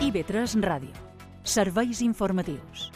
IB3 Ràdio. Serveis informatius.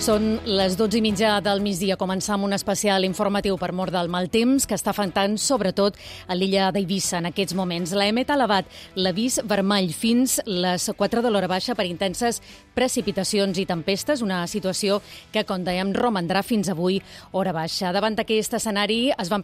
Són les 12:30 del migdia. Començam un especial informatiu per mort del mal temps que està afectant sobretot a l'illa d'Eivissa en aquests moments. La EMET ha elevat l'avís vermell fins les 4 de l'hora baixa per intenses precipitacions i tempestes, una situació que, com dèiem, romandrà fins avui hora baixa. Davant d'aquest escenari es van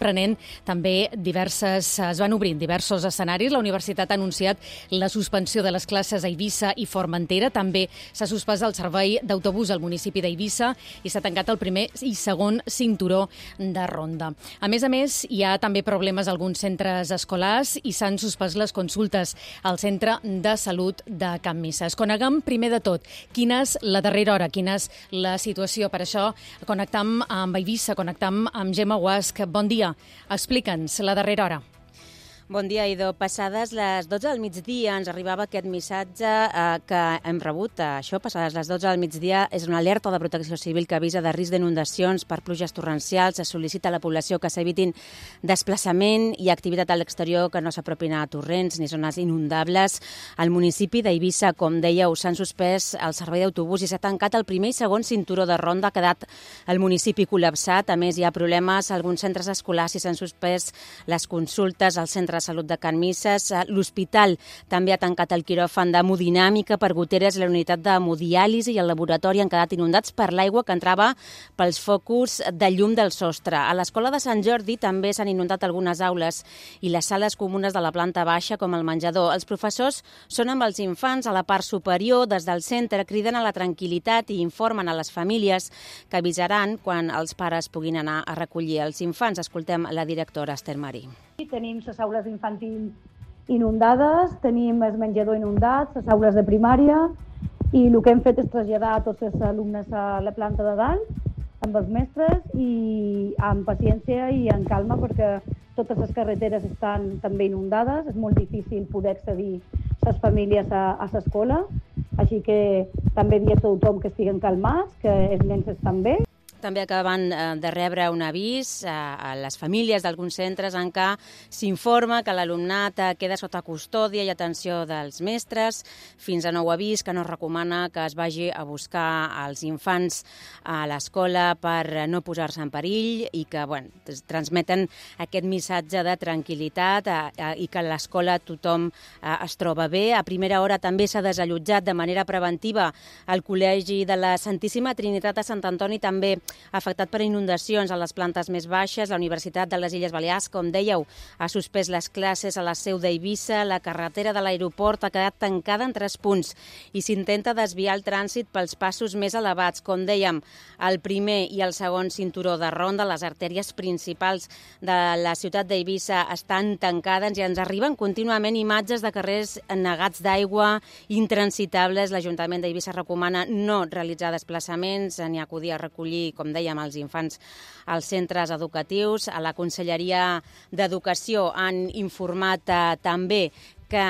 obrint diversos escenaris. La universitat ha anunciat la suspensió de les classes a Eivissa i Formentera. També s'ha suspès el servei d'autobús al municipi d'Eivissa i s'ha tancat el primer i segon cinturó de ronda. A més, hi ha també problemes a alguns centres escolars i s'han suspès les consultes al Centre de Salut de Can Misses. Coneguem primer de tot quina és la darrera hora, quina és la situació. Per això connectam amb Eivissa, connectam amb Gemma Guasch. Bon dia, explica'ns la darrera hora. Bon dia, Ido. Passades les 12 del migdia ens arribava aquest missatge que hem rebut. Això, passades les 12 del migdia, és una alerta de Protecció Civil que avisa de risc d'inundacions per pluges torrencials. Es sol·licita a la població que s'evitin desplaçament i activitat a l'exterior, que no s'apropin a torrents ni zones inundables. Al municipi d'Eivissa, com dèieu, s'han suspès el servei d'autobús i s'ha tancat el primer i segon cinturó de ronda. Ha quedat el municipi col·lapsat. A més, hi ha problemes a alguns centres escolars i s'han suspès les consultes al Centre de Salut de Can Misses. L'hospital també ha tancat el quiròfan d'hemodinàmica per goteres, la unitat d'hemodiàlisi i el laboratori han quedat inundats per l'aigua que entrava pels focus de llum del sostre. A l'escola de Sant Jordi també s'han inundat algunes aules i les sales comunes de la planta baixa, com el menjador. Els professors són amb els infants a la part superior. Des del centre criden a la tranquil·litat i informen a les famílies que avisaran quan els pares puguin anar a recollir els infants. Escoltem la directora Esther Marí. Tenim les aules infantil inundades, tenim el menjador inundat, les aules de primària, i el que hem fet és traslladar a tots els alumnes a la planta de dalt amb els mestres i amb paciència i en calma, perquè totes les carreteres estan també inundades, és molt difícil poder accedir les famílies a l'escola, així que també dir a tothom que estiguen calmats, que els nens estan bé. També acaben de rebre un avís a les famílies d'alguns centres en què s'informa que l'alumnat queda sota custòdia i atenció dels mestres. Fins a nou avís, que no es recomana que es vagi a buscar els infants a l'escola per no posar-se en perill i que transmeten aquest missatge de tranquil·litat i que a l'escola tothom es troba bé. A primera hora també s'ha desallotjat de manera preventiva el Col·legi de la Santíssima Trinitat a Sant Antoni, també afectat per inundacions a les plantes més baixes. La Universitat de les Illes Balears, com dèieu, ha suspès les classes a la seu d'Eivissa. La carretera de l'aeroport ha quedat tancada en 3 punts i s'intenta desviar el trànsit pels passos més elevats. Com dèiem, el primer i el segon cinturó de ronda, les artèries principals de la ciutat d'Eivissa estan tancades i ens arriben contínuament imatges de carrers negats d'aigua, intransitables. L'Ajuntament d'Eivissa recomana no realitzar desplaçaments ni acudir a recollir, com dèiem, els infants als centres educatius. A la Conselleria d'Educació han informat també que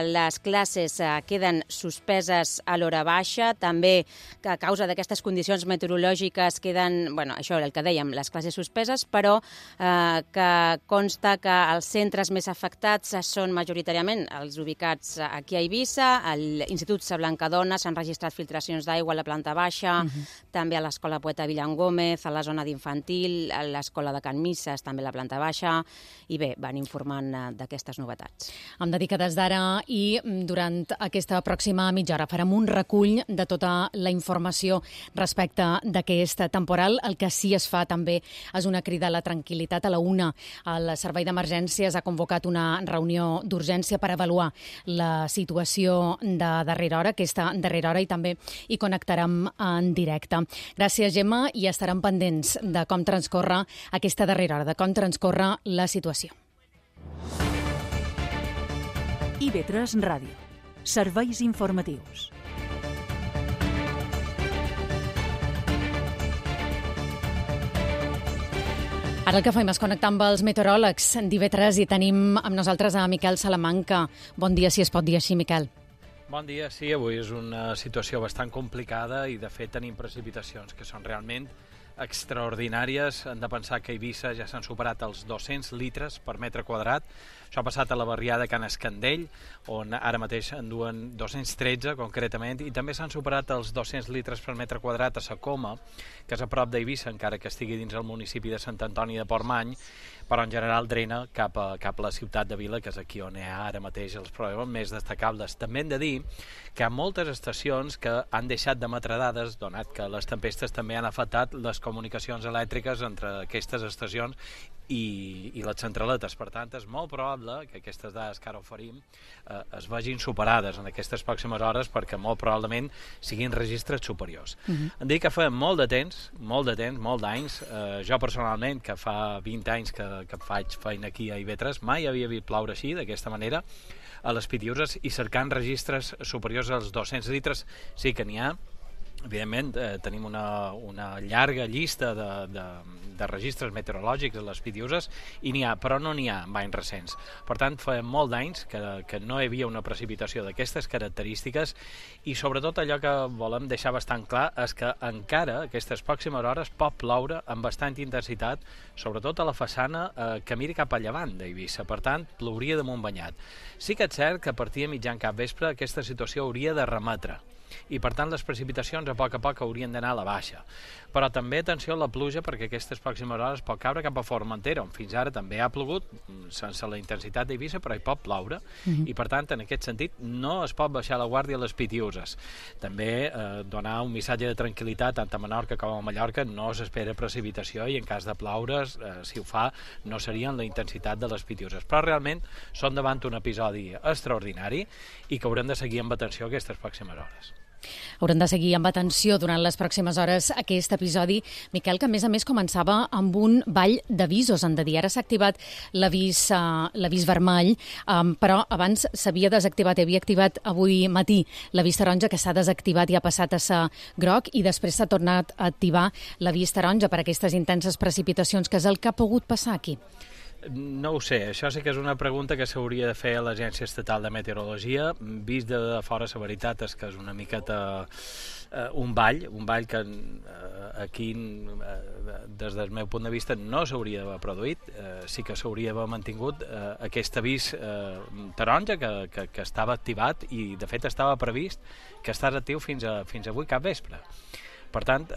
les classes queden suspeses a l'hora baixa, també que a causa d'aquestes condicions meteorològiques queden, això el que dèiem, les classes suspeses, però que consta que els centres més afectats són majoritàriament els ubicats aquí a Eivissa. A l'Institut Sa Blancadona s'han registrat filtracions d'aigua a la planta baixa, també a l'Escola Poeta Villangómez, a la zona d'infantil, a l'Escola de Can Misses, també a la planta baixa, i bé, van informant d'aquestes novetats. Em dedica des d'ara i durant aquesta pròxima mitja hora farem un recull de tota la informació respecte d'aquest temporal. El que sí es fa també és una crida a la tranquil·litat. A la 1, el Servei d'Emergències ha convocat una reunió d'urgència per avaluar la situació de darrera hora, aquesta darrera hora, i també hi connectarem en directe. Gràcies, Gemma, i estarem pendents de com transcorre aquesta darrera hora, de com transcorre la situació. IB3 Ràdio. Serveis informatius. Ara el que fem és connectar amb els meteoròlegs d'IV3 i tenim amb nosaltres a Miquel Salamanca. Bon dia, si es pot dir així, Miquel. Bon dia, sí, avui és una situació bastant complicada i de fet tenim precipitacions que són realment extraordinàries. Hem de pensar que a Eivissa ja s'han superat els 200 litres per metre quadrat. Això ha passat a la barriada Can Escandell, on ara mateix en duen 213 concretament, i també s'han superat els 200 litres per metre quadrat a Sa Coma, que és a prop d'Eivissa, encara que estigui dins el municipi de Sant Antoni de Portmany, però en general drena cap a la ciutat de Vila, que és aquí on hi ha ara mateix els problemes més destacables. També hem de dir que hi ha moltes estacions que han deixat d'emetre dades, donat que les tempestes també han afectat les comunicacions elèctriques entre aquestes estacions i les centraletes. Per tant, és molt probable que aquestes dades que ara oferim es vegin superades en aquestes pròximes hores, perquè molt probablement siguin registres superiors. Em dic que fa molt de temps, molts d'anys, jo personalment, que fa 20 anys que faig feina aquí a IV3, mai havia vist ploure així, d'aquesta manera, a les Pitiüses, i cercant registres superiors als 200 litres sí que n'hi ha. Evidentment, tenim una llarga llista de registres meteorològics a les Pitiüses i n'hi ha, però no n'hi ha en anys recents. Per tant, fa molt d'anys que no hi havia una precipitació d'aquestes característiques i sobretot allò que volem deixar bastant clar és que encara aquestes pròximes hores pot ploure amb bastant intensitat, sobretot a la façana que mira cap a llevant d'Eivissa. Per tant, plouria damunt banyat. Sí que és cert que a partir de mitjan capvespre aquesta situació hauria de remetre i per tant les precipitacions a poc haurien d'anar a la baixa. Però també atenció a la pluja, perquè aquestes pròximes hores pot caure cap a Formentera, on fins ara també ha plogut sense la intensitat d'Eivissa, però hi pot ploure i per tant en aquest sentit no es pot baixar la guàrdia a les Pitiüses. També donar un missatge de tranquil·litat tant a Menorca com a Mallorca, no s'espera precipitació i en cas de ploure, si ho fa, no serien la intensitat de les Pitiüses. Però realment són davant un episodi extraordinari i que haurem de seguir amb atenció aquestes pròximes hores. Haurem de seguir amb atenció durant les pròximes hores aquest episodi, Miquel, que a més començava amb un ball d'avisos, han de dir. Ara s'ha activat l'avís vermell, però abans s'havia desactivat, havia activat avui matí l'avís taronja, que s'ha desactivat i ha passat a ser groc, i després s'ha tornat a activar l'avís taronja per aquestes intenses precipitacions, que és el que ha pogut passar aquí. No ho sé, això sí que és una pregunta que s'hauria de fer a l'Agència Estatal de Meteorologia. Vist de fora, la veritat és que és una miqueta un ball que aquí, des del meu punt de vista, no s'hauria d'haver produït. Sí que s'hauria d'haver mantingut aquest avís taronja que estava activat i, de fet, estava previst que estàs actiu fins avui capvespre. Per tant,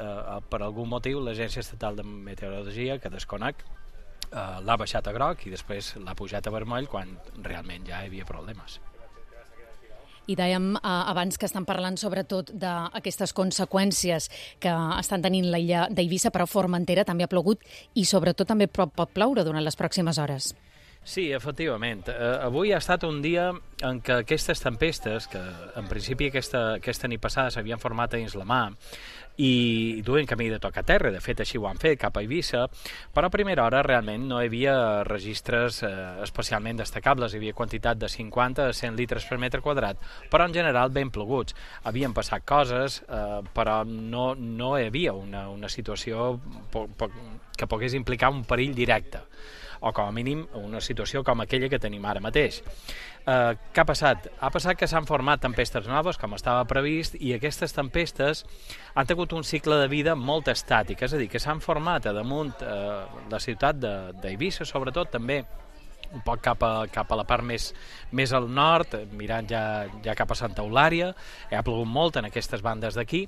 per algun motiu, l'Agència Estatal de Meteorologia, que desconec, l'ha baixat a groc i després l'ha pujat a vermell quan realment ja hi havia problemes. I dèiem abans que estan parlant sobretot d'aquestes conseqüències que estan tenint l'illa d'Eivissa, però Formentera també ha plogut i sobretot també pot ploure durant les pròximes hores. Sí, efectivament. Avui ha estat un dia en què aquestes tempestes, que en principi aquesta nit passada s'havien format a dins la mà i duen camí de tocar terra, de fet així ho han fet cap a Eivissa, però a primera hora realment no hi havia registres especialment destacables, hi havia quantitat de 50 a 100 litres per metre quadrat, però en general ben ploguts. Havien passat coses, però no hi havia una situació que pogués implicar un perill directe, o com a mínim una situació com aquella que tenim ara mateix. Què ha passat? Ha passat que s'han format tempestes noves, com estava previst, i aquestes tempestes han tingut un cicle de vida molt estàtic, és a dir, que s'han format a damunt la ciutat d'Eivissa, sobretot també un poc cap a la part més al nord, mirant ja cap a Santa Eulària. Ha plogut molt en aquestes bandes d'aquí,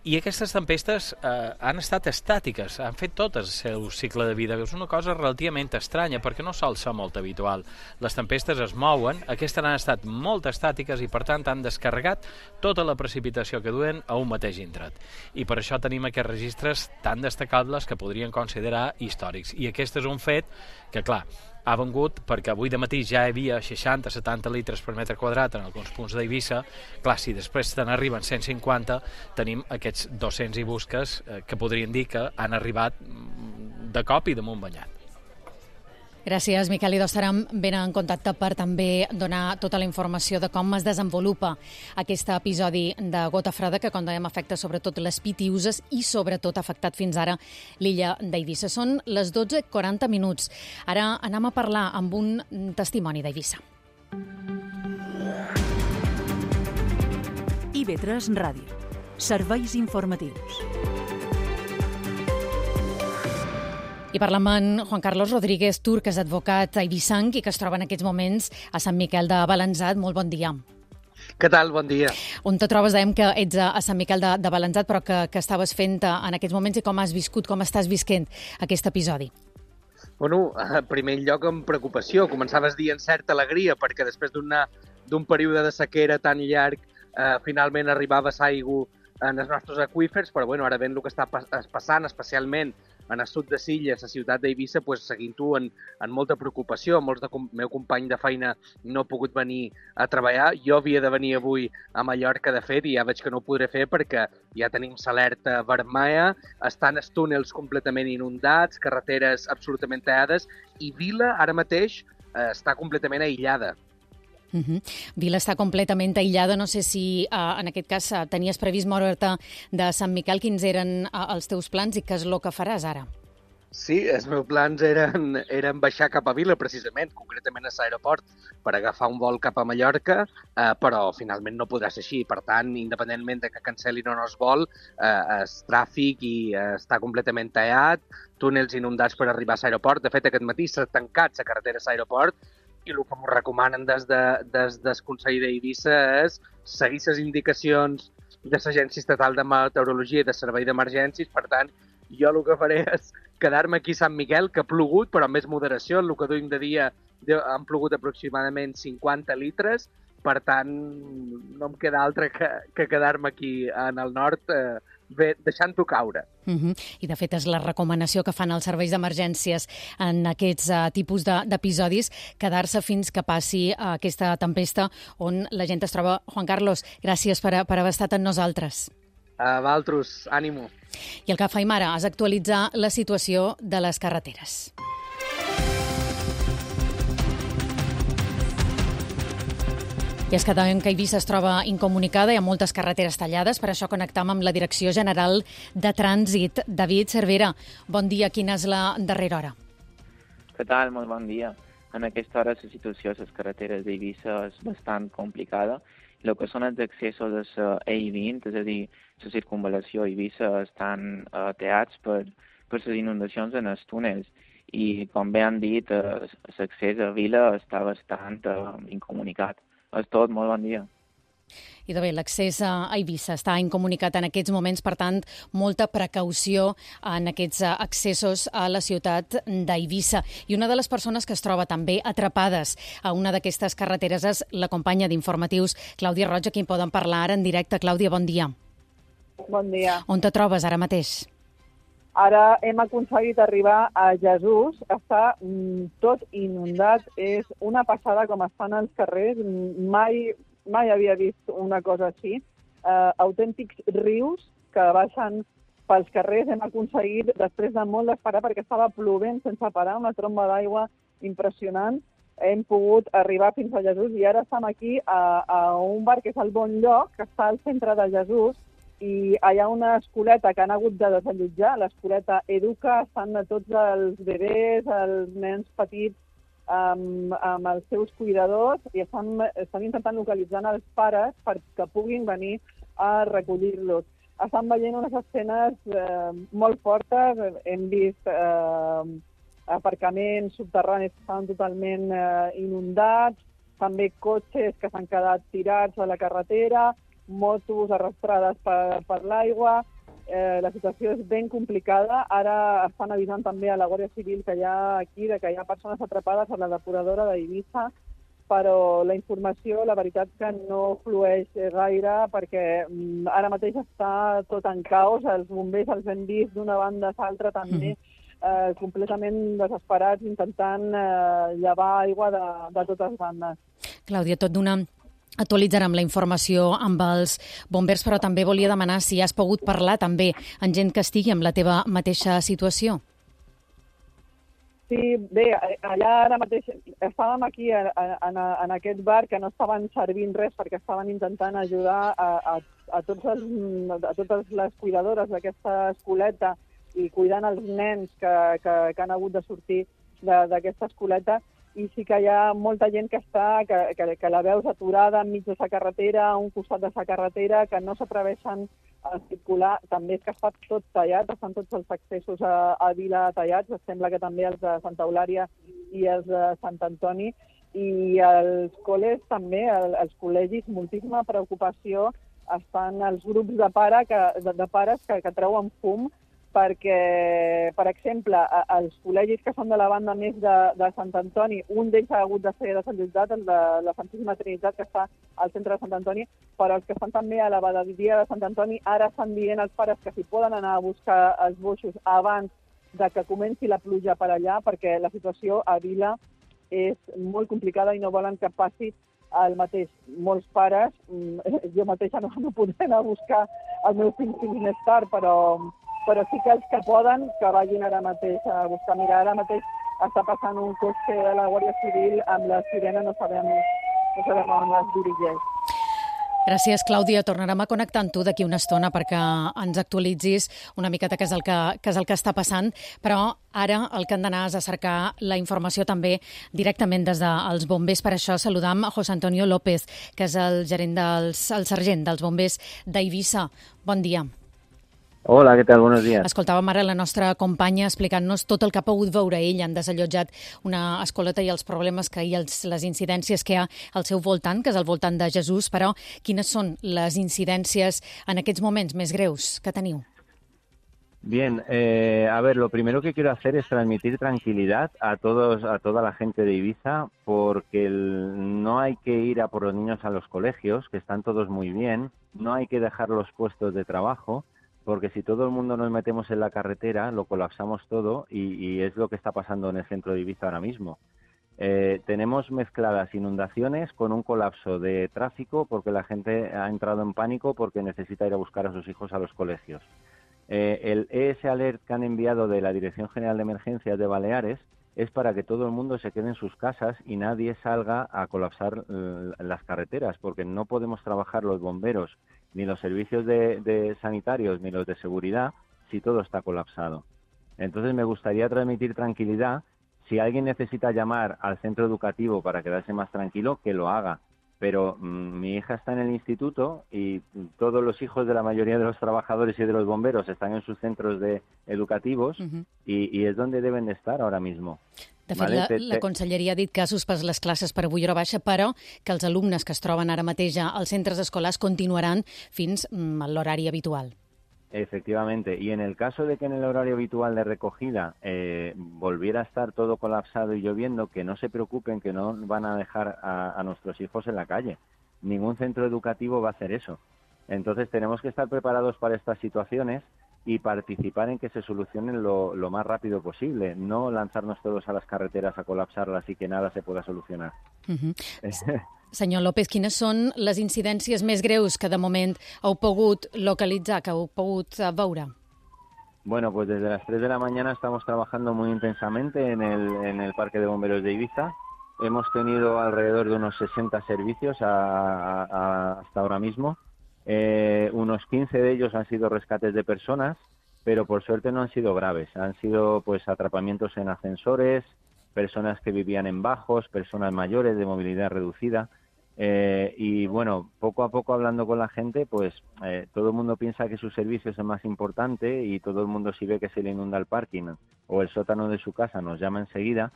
i aquestes tempestes han estat estàtiques, han fet tot el seu cicle de vida. És una cosa relativament estranya, perquè no sol ser molt habitual. Les tempestes es mouen, aquestes han estat molt estàtiques i per tant han descarregat tota la precipitació que duen a un mateix indret. I per això tenim aquests registres tan destacables que podrien considerar històrics. I aquest és un fet que, clar, ha vengut perquè avui de matí ja hi havia 60-70 litres per metre quadrat en alguns punts d'Eivissa. Clar, si després te n'arriben 150, tenim aquests 200 i busques que podrien dir que han arribat de cop i damunt banyat. Gràcies, Miquel. I estarem ben en contacte per també donar tota la informació de com es desenvolupa aquest episodi de gota freda que, com dèiem, afecta sobretot les Pitiüses i sobretot ha afectat fins ara l'illa d'Eivissa. Són les 12:40. Ara anem a parlar amb un testimoni d'Eivissa. IB3 Ràdio. Serveis informatius. I parlem amb Juan Carlos Rodríguez Tur, que és advocat eivissenc i que es troba en aquests moments a Sant Miquel de Balanzat. Molt bon dia. Què tal? Bon dia. On te trobes? Dèiem que ets a Sant Miquel de Balanzat, però que estaves fent en aquests moments i com has viscut, com estàs visquent aquest episodi? Bueno, en primer lloc amb preocupació. Començaves dient certa alegria perquè després d'un període de sequera tan llarg finalment arribava l'aigua en els nostres aqüífers, però bueno, ara veient el que està passant, especialment en el sud de Silla, la ciutat d'Eivissa, pues, seguint-ho en molta preocupació. Molts del meu company de feina no ha pogut venir a treballar. Jo havia de venir avui a Mallorca, de fet, i ja veig que no ho podré fer perquè ja tenim l'alerta vermella, estan els túnels completament inundats, carreteres absolutament tallades, i Vila ara mateix està completament aïllada. Vila està completament aïllada. No sé si en aquest cas tenies previst moure't de Sant Miquel. Quins eren els teus plans i què és el que faràs ara? Sí, els meus plans eren baixar cap a Vila, precisament, concretament a l'aeroport, per agafar un vol cap a Mallorca, però finalment no podrà ser així. Per tant, independentment de que cancel·lin o no es vol, el tràfic està completament tallat, túnels inundats per arribar a l'aeroport. De fet, aquest matí s'ha tancat la carretera a l'aeroport i el que m'ho recomanen des del Consell d'Eivissa és seguir les indicacions de l'Agència Estatal de Meteorologia i de Servei d'Emergències. Per tant, jo el que faré és quedar-me aquí a Sant Miquel, que ha plogut, però amb més moderació. El que duim de dia han plogut aproximadament 50 litres, per tant, no em queda altre que quedar-me aquí en el nord, deixant-ho caure. I, de fet, és la recomanació que fan els serveis d'emergències en aquests tipus d'episodis, quedar-se fins que passi aquesta tempesta on la gent es troba. Juan Carlos, gràcies per haver estat amb nosaltres. A vosaltres, ànimo. I el que faim ara és actualitzar la situació de les carreteres. I és que sabem que Eivissa es troba incomunicada, hi ha moltes carreteres tallades, per això connectam amb la Direcció General de Trànsit. David Cervera, bon dia, quina és la darrera hora? Què tal? Molt bon dia. En aquesta hora la situació a les carreteres d'Eivissa és bastant complicada. El que són els accessos a la E20, és a dir, la circunvalació a Eivissa, estan tallats per les inundacions en els túnels. I, com bé han dit, l'accés a Vila està bastant incomunicat. És tot, molt bon dia. I de bé, l'accés a Eivissa està incomunicat en aquests moments, per tant, molta precaució en aquests accessos a la ciutat d'Eivissa. I una de les persones que es troba també atrapades a una d'aquestes carreteres és la companya d'Informatius, Clàudia Roig, a qui poden parlar ara en directe. Clàudia, bon dia. Bon dia. On te trobes ara mateix? Ara hem aconseguit arribar a Jesús, està tot inundat, és una passada com estan els carrers, mai havia vist una cosa així, autèntics rius que baixen pels carrers. Hem aconseguit, després de molt d'esperar, perquè estava plovent sense parar, una tromba d'aigua impressionant, hem pogut arribar fins a Jesús i ara estem aquí a un bar que és el Bon Lloc, que està al centre de Jesús, i hi ha una escoleta que han hagut de desallotjar, l'escoleta Educa, estan tots els bebès, els nens petits amb els seus cuidadors i estan intentant localitzar els pares perquè puguin venir a recollir-los. Estan veient unes escenes molt fortes, hem vist aparcaments subterranis que estan totalment inundats, també cotxes que s'han quedat tirats a la carretera, motos arrastrades per l'aigua. La situació és ben complicada. Ara estan avisant també a la Guàrdia Civil que hi ha aquí, que hi ha persones atrapades a la depuradora d'Eivissa, però la informació, la veritat que no flueix gaire perquè ara mateix està tot en caos. Els bombers els hem vist d'una banda a l'altra també completament desesperats intentant llevar aigua de totes bandes. Clàudia, tot d'una actualitzarem la informació amb els bombers, però també volia demanar si has pogut parlar també amb gent que estigui en la teva mateixa situació. Sí, bé, allà ara mateix estàvem aquí en aquest bar que no estaven servint res perquè estaven intentant ajudar a totes les cuidadores d'aquesta escoleta i cuidant els nens que han hagut de sortir d'aquesta escoleta, i sí que hi ha molta gent que la veus aturada enmig de la carretera, a un costat de la carretera, que no s'atreveixen a circular. També és que està tot tallat, estan tots els accessos a Vila tallats, sembla que també els de Santa Eulària i els de Sant Antoni, i els col·les també, els col·legis, moltíssima preocupació. Estan els grups de pares que treuen fum, perquè, per exemple, els col·legis que són de la banda més de Sant Antoni, un d'ells ha hagut de ser desallotjat, el de la Santíssima Trinitat, que està al centre de Sant Antoni, però els que estan també a la badia de Sant Antoni, ara estan dient als pares que si poden anar a buscar els boixos abans de que comenci la pluja per allà, perquè la situació a Vila és molt complicada i no volen que passi el mateix. Molts pares, jo mateixa no podré anar a buscar els meus fills més tard, però sí que els que poden, que vagin ara mateix a buscar. Mira, ara mateix està passant un cotxe de la Guàrdia Civil amb la sirena, no sabem on es dirigeix. Gràcies, Clàudia. Tornarem a connectar amb tu d'aquí una estona perquè ens actualitzis una miqueta què és el que està passant, però ara el que han d'anar és a cercar la informació també directament des dels bombers. Per això saludam a José Antonio López, que és el sergent dels bombers d'Eivissa. Bon dia. Hola, què tal? Buenos días. Escoltàvem ara la nostra companya explicant-nos tot el que ha pogut veure ell. Han desallotjat una escoleta i els problemes que hi ha, les incidències que hi ha al seu voltant, que és al voltant de Jesús, però quines són les incidències en aquests moments més greus que teniu? Bien, a ver, lo primero que quiero hacer es transmitir tranquilidad a toda la gente de Ibiza, porque no hay que ir a por los niños a los colegios, que están todos muy bien, no hay que dejar los puestos de trabajo, porque si todo el mundo nos metemos en la carretera, lo colapsamos todo y es lo que está pasando en el centro de Ibiza ahora mismo. Tenemos mezcladas inundaciones con un colapso de tráfico porque la gente ha entrado en pánico porque necesita ir a buscar a sus hijos a los colegios. El ES Alert que han enviado de la Dirección General de Emergencias de Baleares es para que todo el mundo se quede en sus casas y nadie salga a colapsar las carreteras, porque no podemos trabajar los bomberos ni los servicios de sanitarios ni los de seguridad si todo está colapsado. Entonces me gustaría transmitir tranquilidad. Si alguien necesita llamar al centro educativo para quedarse más tranquilo, que lo haga. Pero mi hija está en el instituto y todos los hijos de la mayoría de los trabajadores y de los bomberos están en sus centros educativos y es donde deben de estar ahora mismo. De fet, la Conselleria ha dit que ha suspès les classes per avui hora baixa, però que els alumnes que es troben ara mateix als centres escolars continuaran fins a l'horari habitual. Efectivamente, y en el caso de que en el horario habitual de recogida volviera a estar todo colapsado y lloviendo, que no se preocupen, que no van a dejar a nuestros hijos en la calle. Ningún centro educativo va a hacer eso. Entonces tenemos que estar preparados para estas situaciones y participar en que se solucionen lo más rápido posible, no lanzarnos todos a las carreteras a colapsarlas y que nada se pueda solucionar. Senyor López, quines són les incidències més greus que de moment heu pogut localitzar, que heu pogut veure? Bueno, pues desde las 3 de la mañana estamos trabajando muy intensamente en el Parque de Bomberos de Ibiza. Hemos tenido alrededor de unos 60 servicios hasta ahora mismo. Unos 15 de ellos han sido rescates de personas, pero por suerte no han sido graves. Han sido pues atrapamientos en ascensores, personas que vivían en bajos, personas mayores de movilidad reducida. Y bueno, poco a poco hablando con la gente, pues todo el mundo piensa que su servicio es el más importante y todo el mundo, si ve que se le inunda el parking o el sótano de su casa, nos llama enseguida.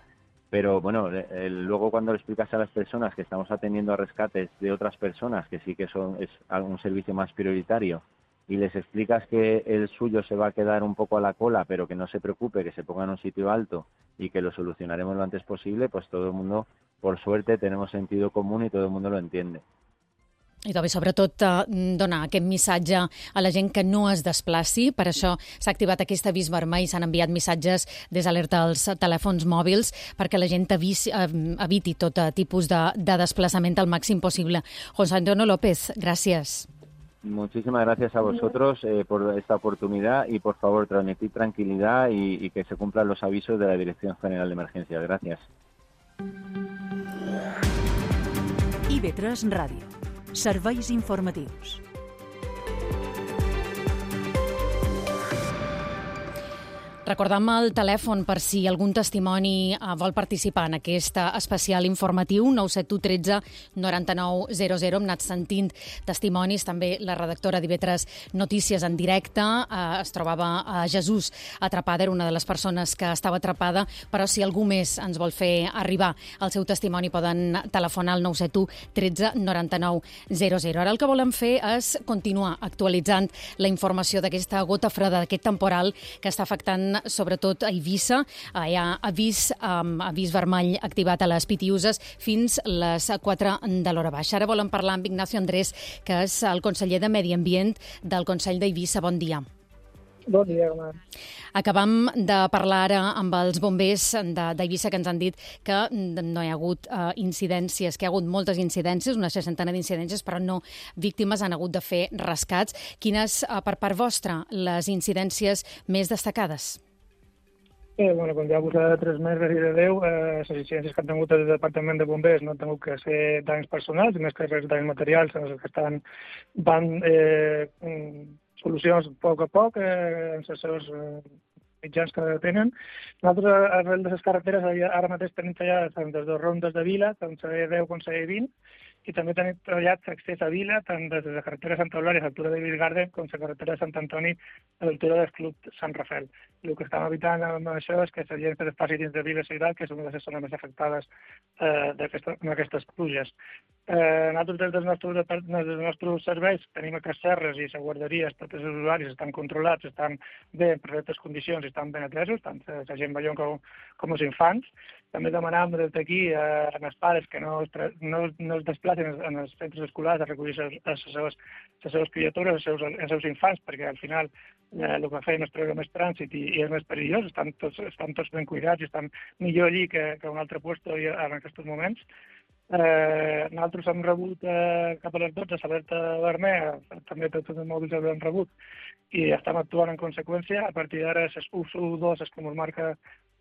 Pero bueno, luego cuando le explicas a las personas que estamos atendiendo a rescates de otras personas, que sí que es un servicio más prioritario, y les explicas que el suyo se va a quedar un poco a la cola, pero que no se preocupe, que se ponga en un sitio alto y que lo solucionaremos lo antes posible, pues todo el mundo, por suerte, tenemos sentido común y todo el mundo lo entiende. I també, sobretot, donar aquest missatge a la gent que no es desplaci. Per això s'ha activat aquest avís vermell, s'han enviat missatges des d'Alerta als telèfons mòbils perquè la gent eviti tot tipus de desplaçament al màxim possible. José Antonio López, gràcies. Muchísimas gracias a vosotros por esta oportunidad y, por favor, transmitir tranquilidad y que se cumplan los avisos de la Dirección General de Emergencias. Gracias. IB3 Ràdio. Serveis informatius. Recordem el telèfon per si algun testimoni vol participar en aquest especial informatiu, 971 13 99 00. Hem anat sentint testimonis, també la redactora d'IV3 Notícies en directe es trobava a Jesús atrapada, era una de les persones que estava atrapada, però si algú més ens vol fer arribar el seu testimoni poden telefonar al 971 13 99 00. Ara el que volem fer és continuar actualitzant la informació d'aquesta gota freda, d'aquest temporal que està afectant sobretot a Eivissa. Hi ha avís vermell activat a les Pitiüses fins les 4 de l'hora baixa. Ara volem parlar amb Ignacio Andrés, que és el conseller de Medi Ambient del Consell d'Eivissa. Bon dia. Bon dia, Omar. Acabam de parlar ara amb els bombers d'Eivissa que ens han dit que no hi ha hagut incidències, que hi ha hagut moltes incidències, una 60 d'incidències, però no víctimes, han hagut de fer rescats. Quines, per part vostra, les incidències més destacades? Bueno, com ja vos he transmès de Déu, les incidències que han tingut el Departament de Bombers no han tingut que ser danys personals, més que res danys materials, en els que van solucions a poc amb els seus mitjans que tenen. Nosaltres, arrel de les carreteres, ara mateix tenim tallades tant des de rondes de Vila, tant C10 com C20, i també tenim treballat l'accés a Vila, tant des de la carretera de Santa Eulàlia a l'altura de Villgarden, com la carretera de Sant Antoni a l'altura del Club Sant Rafael. El que estem evitant amb això és que la gent que passi dins de Vila Ciutat, que és una de les zones més afectades amb aquestes pluges. Nosaltres, des dels nostres serveis, tenim aquests serres i les guarderies, tots els usuaris estan controlats, estan bé en perfectes condicions i estan ben atesos, tant la gent major com els infants. També demanàvem des d'aquí als pares que no es desplacen en els centres escolars a recollir les seves criatures, els seus infants, perquè al final el que feien és treure més trànsit i és més perillós, estan tots ben cuidats i estan millor allí que a un altre lloc en aquests moments. Nosaltres hem rebut cap a les 12 l'alerta vermella, també tots els mòbils l'hem rebut i estem actuant en conseqüència. A partir d'ara, les U2, és com es marca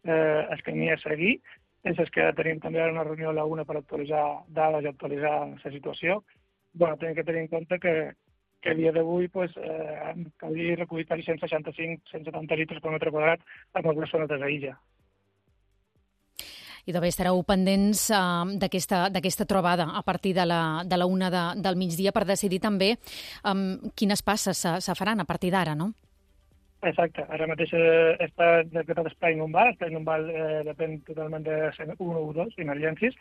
el camí a seguir, és que tenim també una reunió a la 1 per actualitzar dades i actualitzar la situació. Tenim que tenir en compte que a dia d'avui calia recollir 165-170 litres per metre quadrat en algunes zones de l'illa. I també estareu pendents d'aquesta trobada a partir de la 1 del migdia per decidir també quines passes se faran a partir d'ara, no? Exacte. Ara mateix està decretat espai inundal. Espai inundal depèn totalment de 1 o 2 emergències.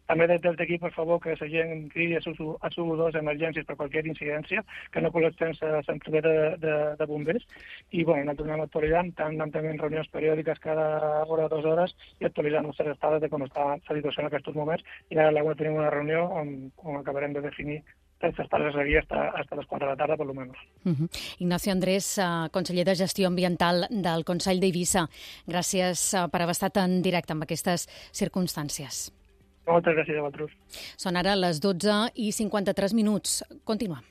També des d'aquí, per favor, que la gent cridi a SU2 emergències per qualsevol incidència, que no col·lecten la central de bombers. I nosaltres anem actualitzant, anem tenint reunions periòdiques cada hora o 2 hores i actualitzant les estades de com està la situació en aquests moments. I ara a l'Agua tenim una reunió on acabarem de definir estar a seguir hasta les 4 de la tarda, per lo menos. Ignacio Andrés, conseller de Gestió Ambiental del Consell d'Eivissa, gràcies per haver estat en directe amb aquestes circumstàncies. Moltes gràcies a vosaltres. Són ara les 12:53. Continuem.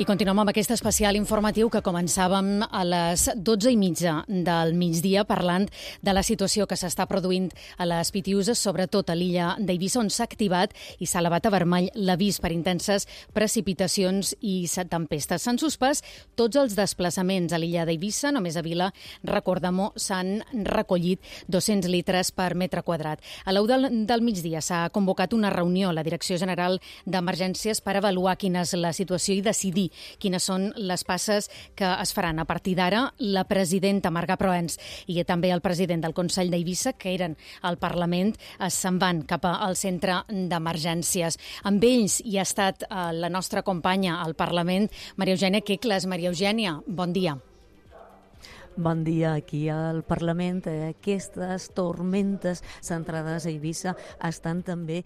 I continuem amb aquest especial informatiu que començàvem a les 12:30 del migdia parlant de la situació que s'està produint a les Pitiüses, sobretot a l'illa d'Eivissa, on s'ha activat i s'ha elevat a vermell l'avís per intenses precipitacions i tempestes. S'han suspès tots els desplaçaments a l'illa d'Eivissa, només a Vila, recordem-ho, s'han recollit 200 litres per metre quadrat. A l'1 del migdia s'ha convocat una reunió a la Direcció General d'Emergències per avaluar quina és la situació i decidir quines són les passes que es faran. A partir d'ara, la presidenta Marga Proens i també el president del Consell d'Eivissa, que eren al Parlament, se'n van cap al centre d'emergències. Amb ells hi ha estat la nostra companya al Parlament, Maria Eugènia Quecles. Maria Eugènia, bon dia. Bon dia. Aquí al Parlament aquestes tormentes centrades a Eivissa estan també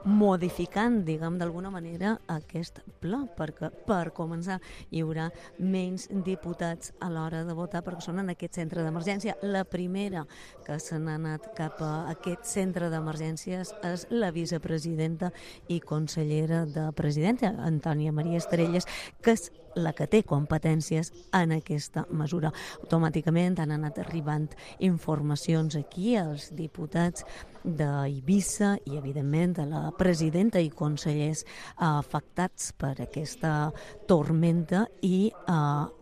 modificant, diguem d'alguna manera, aquest pla, perquè per començar hi haurà menys diputats a l'hora de votar perquè són en aquest centre d'emergència. La primera que se n'ha anat cap a aquest centre d'emergències és la vicepresidenta i consellera de Presidència, Antònia Maria Estrelles, que és la que té competències en aquesta mesura. Automàticament han anat arribant informacions aquí als diputats d'Eivissa i, evidentment, a la presidenta i consellers afectats per aquesta tormenta i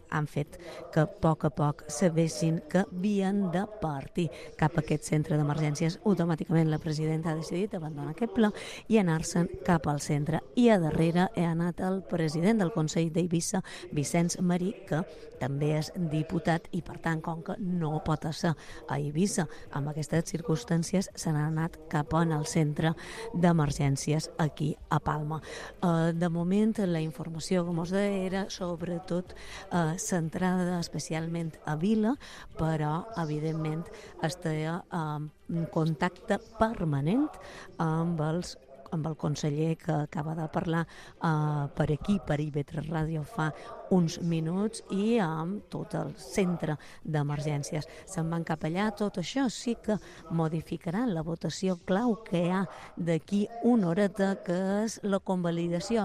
han fet que a poc sabessin que havien de partir cap a aquest centre d'emergències. Automàticament la presidenta ha decidit abandonar aquest pla i anar-se'n cap al centre. I a darrere ha anat el president del Consell d'Eivissa, Vicenç Marí, que també és diputat i, per tant, com que no pot ser a Eivissa amb aquestes circumstàncies, se n'ha anat cap al centre d'emergències aquí a Palma. De moment, la informació, com us deia, era sobretot centrada especialment a Vila, però, evidentment, estarà en contacte permanent amb el conseller que acaba de parlar per aquí, per IB3 Ràdio, fa uns minuts, i amb tot el centre d'emergències. Se'n van cap allà. Tot això sí que modificarà la votació clau que hi ha d'aquí una horeta, que és la convalidació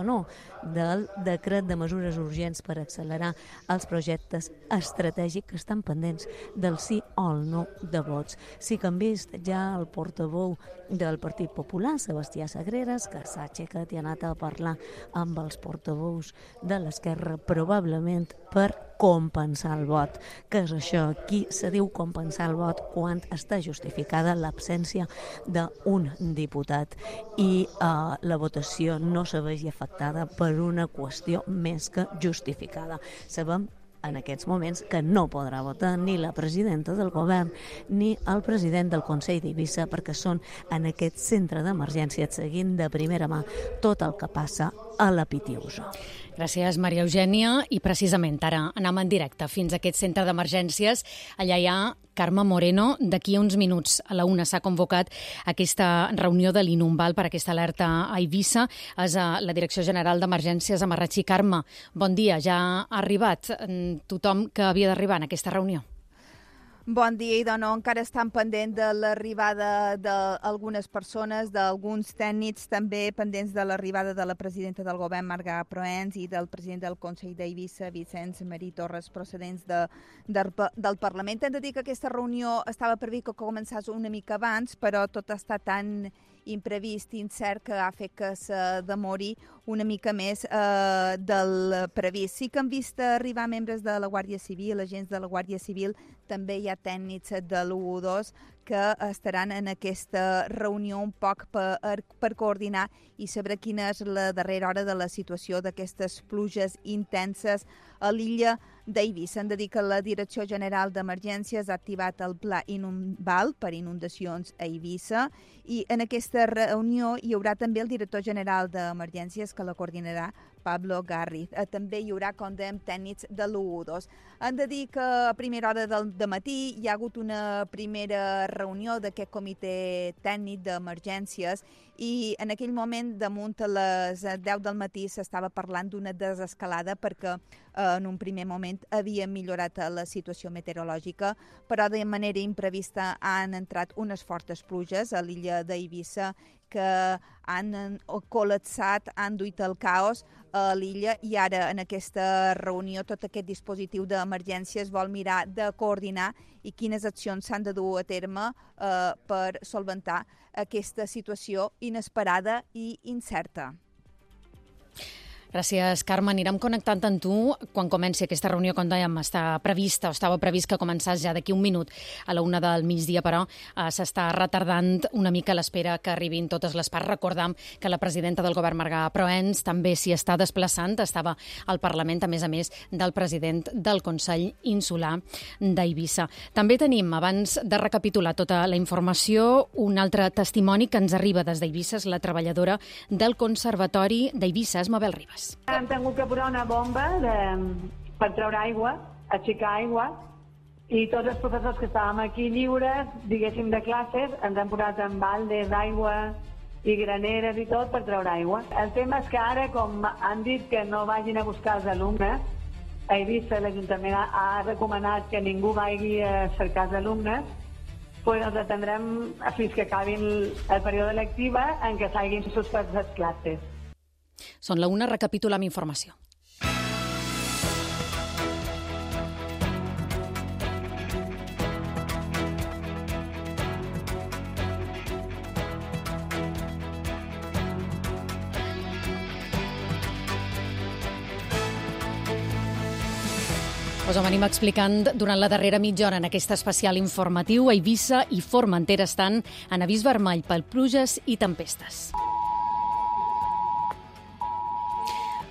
del decret de mesures urgents per accelerar els projectes estratègics que estan pendents del sí o el no de vots. Sí que hem vist ja el portaveu del Partit Popular, Sebastià Sagreras, que s'ha aixecat i ha anat a parlar amb els portaveus de l'Esquerra, probablement per compensar el vot. Què és això? Aquí se diu compensar el vot quan està justificada l'absència d'un diputat i la votació no se vegi afectada per una qüestió més que justificada. Sabem en aquests moments que no podrà votar ni la presidenta del govern ni el president del Consell d'Eivissa, perquè són en aquest centre d'emergència seguint de primera mà tot el que passa a la Pitiusa. Gràcies, Maria Eugènia. I precisament ara anem en directe fins a aquest centre d'emergències. Allà hi ha Carme Moreno. D'aquí a uns minuts a la 1 s'ha convocat aquesta reunió de l'Inumbal per aquesta alerta a Eivissa. És a la Direcció General d'Emergències a Marratxí. Carme, bon dia. Ja ha arribat tothom que havia d'arribar en aquesta reunió? Bon dia, i no, encara estan pendent de l'arribada d'algunes persones, d'alguns tècnics, també pendents de l'arribada de la presidenta del govern, Marga Proens, i del president del Consell d'Eivissa, Vicenç Marí Torres, procedents del Parlament. Hem de dir que aquesta reunió estava previst que començés una mica abans, però tot està tan imprevist i incert que ha fet que se demori una mica més del previst. Sí que han vist arribar membres de la Guàrdia Civil, agents de la Guàrdia Civil, també hi ha tècnics de l'U12 que estaran en aquesta reunió un poc per coordinar i saber quina és la darrera hora de la situació d'aquestes pluges intenses a l'illa d'Eivissa. Hem de dir que la Direcció General d'Emergències ha activat el Pla Inumbal per inundacions a Eivissa i en aquesta reunió hi haurà també el director general d'Emergències, que la coordinarà, Pablo Garriz. També hi haurà, com dèiem, tècnics de l'U2. Hem de dir que a primera hora del matí hi ha hagut una primera reunió d'aquest comitè tècnic d'emergències i en aquell moment, damunt a les 10 del matí, s'estava parlant d'una desescalada perquè en un primer moment havia millorat la situació meteorològica, però de manera imprevista han entrat unes fortes pluges a l'illa d'Eivissa que han col·lapsat, han duit el caos a l'illa i ara en aquesta reunió tot aquest dispositiu d'emergències vol mirar de coordinar i quines accions s'han de dur a terme per solventar aquesta situació inesperada i incerta. Gràcies, Carme. Anirem connectant amb tu quan comenci aquesta reunió, com dèiem, estava previst que començés ja d'aquí un minut a la 1 del migdia, però s'està retardant una mica l'espera que arribin totes les parts. Recordam que la presidenta del govern, Marga Proens, també s'hi està desplaçant, estava al Parlament, a més del president del Consell Insular d'Eivissa. També tenim, abans de recapitular tota la informació, un altre testimoni que ens arriba des d'Eivissa, és la treballadora del Conservatori d'Eivissa, és Mabel Ribas. Hem tingut que posar una bomba per treure aigua, aixecar aigua, I tots els professors que estàvem aquí lliures, diguéssim, de classes, ens han posat en baldes d'aigua i graneres i tot per treure aigua. El tema és que ara, com han dit que no vagin a buscar els alumnes, a Eivissa l'Ajuntament ha recomanat que ningú vagi a cercar els alumnes, doncs els atendrem fins que acabin el període lectiu en què s'hagin suspès les classes. Són la 1, recapitulem informació. Us ho venim explicant durant la darrera mitja hora en aquest especial informatiu. Eivissa i Formentera estan en avís vermell per pluges i tempestes.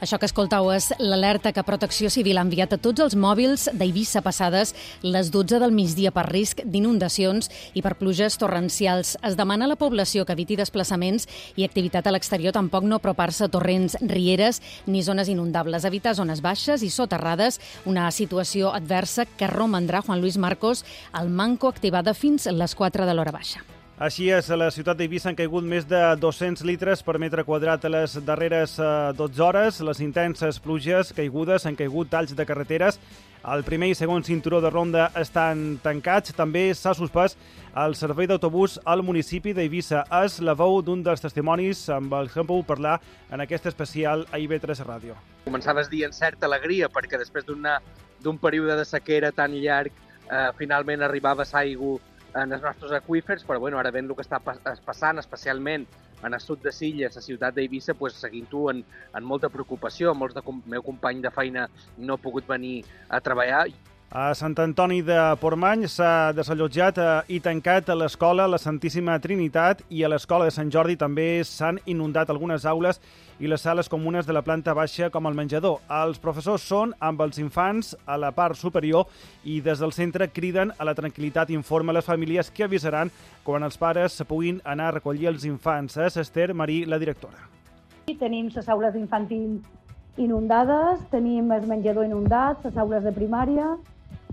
Això que escoltau és l'alerta que Protecció Civil ha enviat a tots els mòbils d'Eivissa passades les 12 del migdia per risc d'inundacions i per pluges torrencials. Es demana a la població que eviti desplaçaments i activitat a l'exterior, tampoc no apropar-se a torrents, rieres ni zones inundables. Evitar zones baixes i soterrades, una situació adversa que romandrà, Juan Luis Marcos, al manco activada fins a les 4 de l'hora baixa. Així és, a la ciutat d'Eivissa han caigut més de 200 litres per metre quadrat a les darreres 12 hores. Les intenses pluges caigudes han caigut talls de carreteres. El primer i segon cinturó de ronda estan tancats. També s'ha suspès el servei d'autobús al municipi d'Eivissa. És la veu d'un dels testimonis amb els que hem pogut parlar en aquest especial a IB3 Ràdio. Començaves dient certa alegria perquè després d'un període de sequera tan llarg finalment arribava aigua en els nostres aqüífers, però ara veient el que està passant, especialment en el sud de Sitges, la ciutat d'Eivissa, seguint-ho en molta preocupació. Molts del meu company de feina no han pogut venir a treballar. A Sant Antoni de Portmany s'ha desallotjat i tancat a l'escola La Santíssima Trinitat i a l'escola de Sant Jordi també s'han inundat algunes aules i les sales comunes de la planta baixa com el menjador. Els professors són amb els infants a la part superior i des del centre criden a la tranquil·litat i informa a les famílies que avisaran quan els pares puguin anar a recollir els infants. És Esther Marí, la directora. Tenim les aules infantils inundades, tenim el menjador inundat, les aules de primària,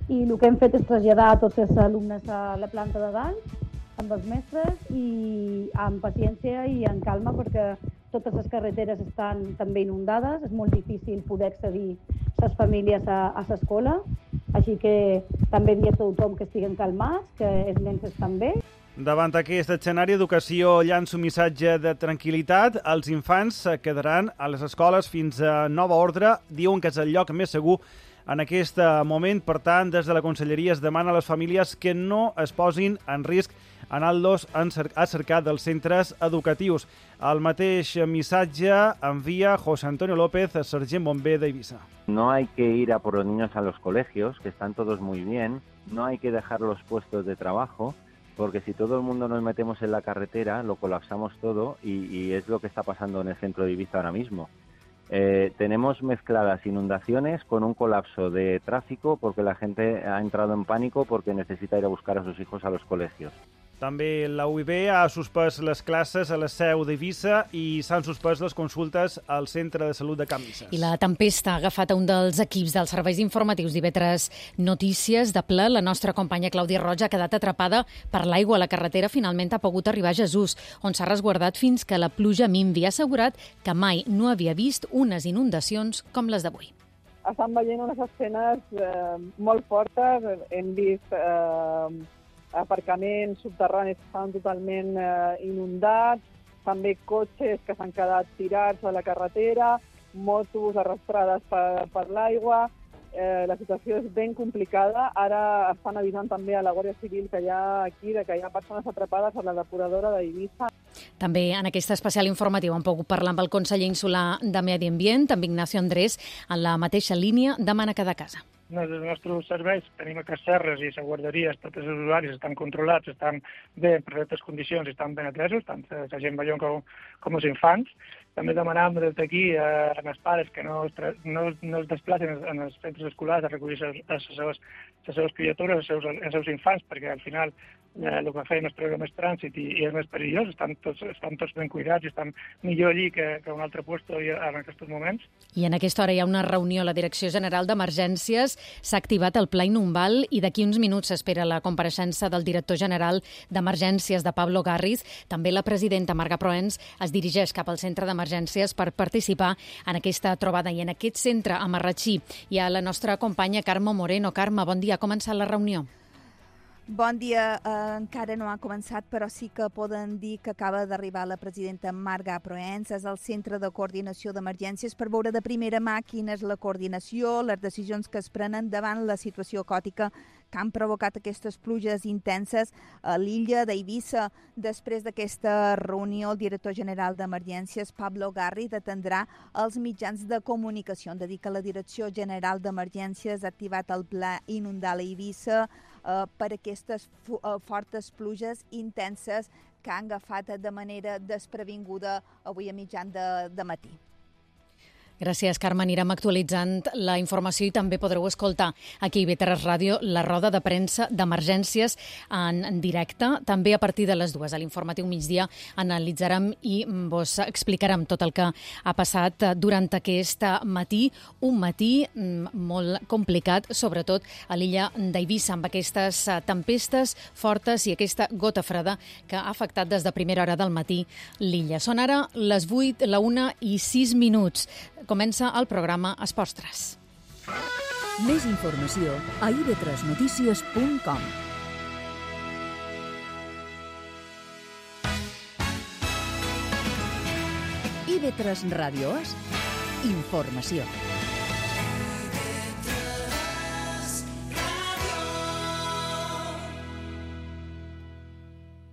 i el que hem fet és traslladar tots els alumnes a la planta de dalt amb els mestres i amb paciència i en calma perquè totes les carreteres estan també inundades, és molt difícil poder accedir les famílies a l'escola, així que també dir a tothom que estiguen calmats, que els nens estan bé. Davant aquest escenari, Educació llança un missatge de tranquil·litat. Els infants quedaran a les escoles fins a nova ordre. Diuen que és el lloc més segur en aquest moment. Per tant, des de la Conselleria es demana a les famílies que no es posin en risc anant-los a cercar dels centres educatius. El mateix missatge envia José Antonio López, sergent bomber d'Eivissa. No hay que ir a por los niños a los colegios, que están todos muy bien. No hay que dejar los puestos de trabajo, porque si todo el mundo nos metemos en la carretera, lo colapsamos todo y es lo que está pasando en el centro de Eivissa ahora mismo. Tenemos mezcladas inundaciones con un colapso de tráfico porque la gente ha entrado en pánico porque necesita ir a buscar a sus hijos a los colegios. També la UIB ha suspès les classes a la seu d'Eivissa i s'han suspès les consultes al Centre de Salut de Can Misses. I la tempesta ha agafat un dels equips dels serveis informatius d'IV3 Notícies de ple. La nostra companya Clàudia Roig ha quedat atrapada per l'aigua a la carretera. Finalment ha pogut arribar a Jesús, on s'ha resguardat fins que la pluja minvi. Ha assegurat que mai no havia vist unes inundacions com les d'avui. Estan veient unes escenes molt fortes. Hem vist aparcaments subterranis que estan totalment inundats, també cotxes que s'han quedat tirats a la carretera, motos arrastrades per l'aigua. La situació és ben complicada. Ara estan avisant també a la Guàrdia Civil que hi ha aquí, que hi ha persones atrapades a la depuradora d'Eivissa. També en aquest especial informatiu hem pogut parlar amb el conseller insular de Medi Ambient, amb Ignacio Andrés, en la mateixa línia de Mana cada casa. Els nostres serveis, tenim a Casserres i a guarderies, tots els usuaris estan controlats, estan bé en perfectes condicions, estan ben atesos, tant la gent major com els infants. També demanàvem des d'aquí als pares que no es desplacen en els centres escolars a recollir les seves criatures, els seus infants, perquè al final el que feien és treure més trànsit i és més perillós, estan tots ben cuidats i estan millor allí que un altre lloc en aquests moments. I en aquesta hora hi ha una reunió a la Direcció General d'Emergències, s'ha activat el Pla Inundal i d'aquí uns minuts s'espera la compareixença del director general d'Emergències de Pablo Garriz. També la presidenta Marga Proens es dirigeix cap al centre d'emergències per participar en aquesta trobada. I en aquest centre, a Marratxí, hi ha la nostra companya Carme Moreno. Carme, bon dia. Ha començat la reunió? Bon dia. Encara no ha començat, però sí que poden dir que acaba d'arribar la presidenta Marga Proens. És el Centre de Coordinació d'Emergències per veure de primera mà quina és la coordinació, les decisions que es prenen davant la situació còtica que han provocat aquestes pluges intenses a l'illa d'Eivissa. Després d'aquesta reunió, el director general d'Emergències, Pablo Garriz, atendrà els mitjans de comunicació. Hem de dir que la Direcció General d'Emergències ha activat el Pla Inundal a Eivissa per aquestes fortes pluges intenses que han agafat de manera desprevinguda avui a mitjan de matí. Gràcies, Carme. Anirem actualitzant la informació i també podreu escoltar aquí a IB3 Ràdio la roda de premsa d'emergències en directe. També a partir de les 2 a l'informatiu migdia analitzarem i vos explicarem tot el que ha passat durant aquest matí. Un matí molt complicat, sobretot a l'illa d'Eivissa, amb aquestes tempestes fortes i aquesta gota freda que ha afectat des de primera hora del matí l'illa. Són ara les 8, la 1 i 6 minuts. Comença el programa Esports 3. Més informació a ib3notícies.com. IB3 Ràdio És informació.